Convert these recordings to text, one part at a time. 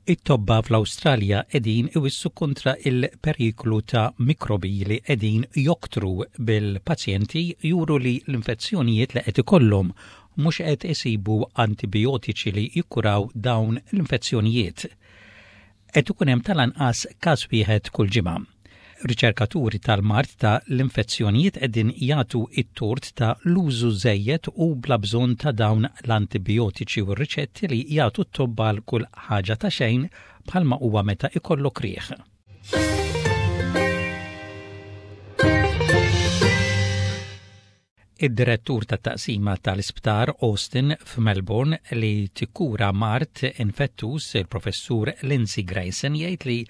It-tobba fl-Awstralja qegħdin iwissu kontra il-periklu ta' mikrobi li qegħdin joktru bil-pazjenti juru li l-infezzjonijiet li qed ikollhom mhux qed isibu antibijotiċi li jikkuraw dawn l-infezzjonijiet. Qed ikun hemm tal-anqas każ wieħed kull ġimgħa. Riċerkaturi tal-mard ta' l-infezzjonijiet qegħdin jagħtu t-tort ta' l-użu żejjed u bla bżonn ta' dawn l-antibijotiċi u r-riċetti li jagħtu t-tobba għal kull ħaġa ta' xejn bħalma huwa meta ikollok riħ. Id-direttur tat-taqsima tal-Isptar Austin f'Melbourne li tikkura mard infettuż, il-Professur Lindsay Grayson jgħid li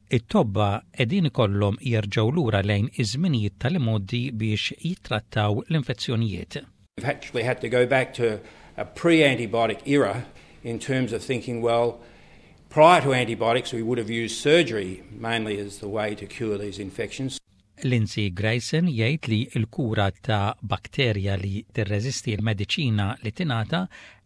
t-tobba qegħdin ikollhom jerġgħu lura lejn iż-żminijiet tal-imgħoddi biex jittrattaw l-infezzjonijiet. We've actually had to go back to a pre-antibiotic era in terms of thinking, well, prior to antibiotics we would have used surgery mainly as the way to cure these infections. Lindsay Grayson jgħid li l-kura ta' bakterja li tirreżisti l-mediċina li tingħata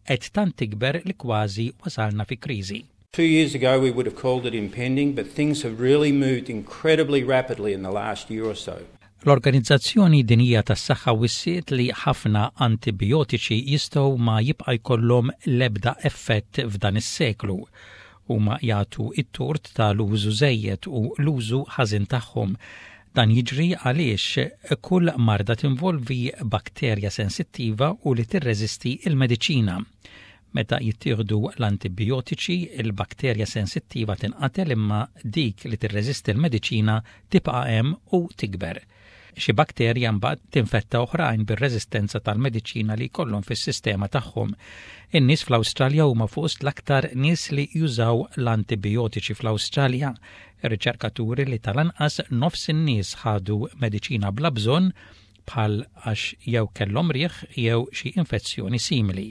qed tant tikber li kważi wasalna fi kriżi. Two years ago we would have called it impending, but things have really moved incredibly rapidly in the last year or so. L-Organizzazzjoni Dinjija tas-Saħħa wissiet li ħafna antibijotiċi jistgħu ma jibqa' jkollhom l-ebda effett f'dan is-seklu. Huma jagħtu t-tort ta' l-użu żejjed u l-użu ħażin tagħhom. Dan jiġri għaliex kull marda tinvolvi bakterja sensittiva u li tirreżisti l-mediċina. Meta jittieħdu l-antibijotiċi, il-bakterja sensittiva tinqatel imma dik li tirreżisti l-mediċina tibqa' hemm u tikber. Xi bakterja mbagħad tinfetta oħrajn bir-reżistenza tal-mediċina li jkollhom fis-sistema tagħhom. In-nies fl-Awstralja huma fost l-aktar nies li jużaw l-antibijotiċi fl-Awstralja. Ir-riċerkaturi li tal-anqas nofs in-nies ħadu mediċina bla bżonn bħal għax jew kellhom riħ jew xi infezzjoni simili.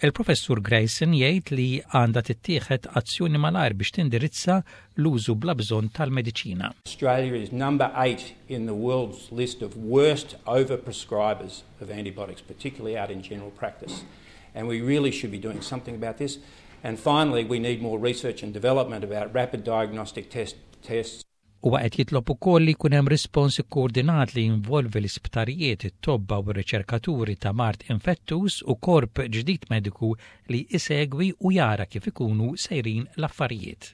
Il-Professur Grayson jgħid li għandha tittieħed azzjoni malajr biex tindirizza l-użu bla bżonn tal-mediċina. Australia is number 8 in the world's list of worst overprescribers of antibiotics, particularly out in general practice. And we really should be doing something about this. And finally, we need more research and development about rapid diagnostic test, tests. Huwa qed jitlob ukoll li jkun hemm rispons ikkoordinat li jinvolvi l-isptarijiet, it-tobba u r-riċerkaturi ta' mard infettuż u korp ġdid mediku li jsegwi u jara kif ikunu sejrin l-affarijiet.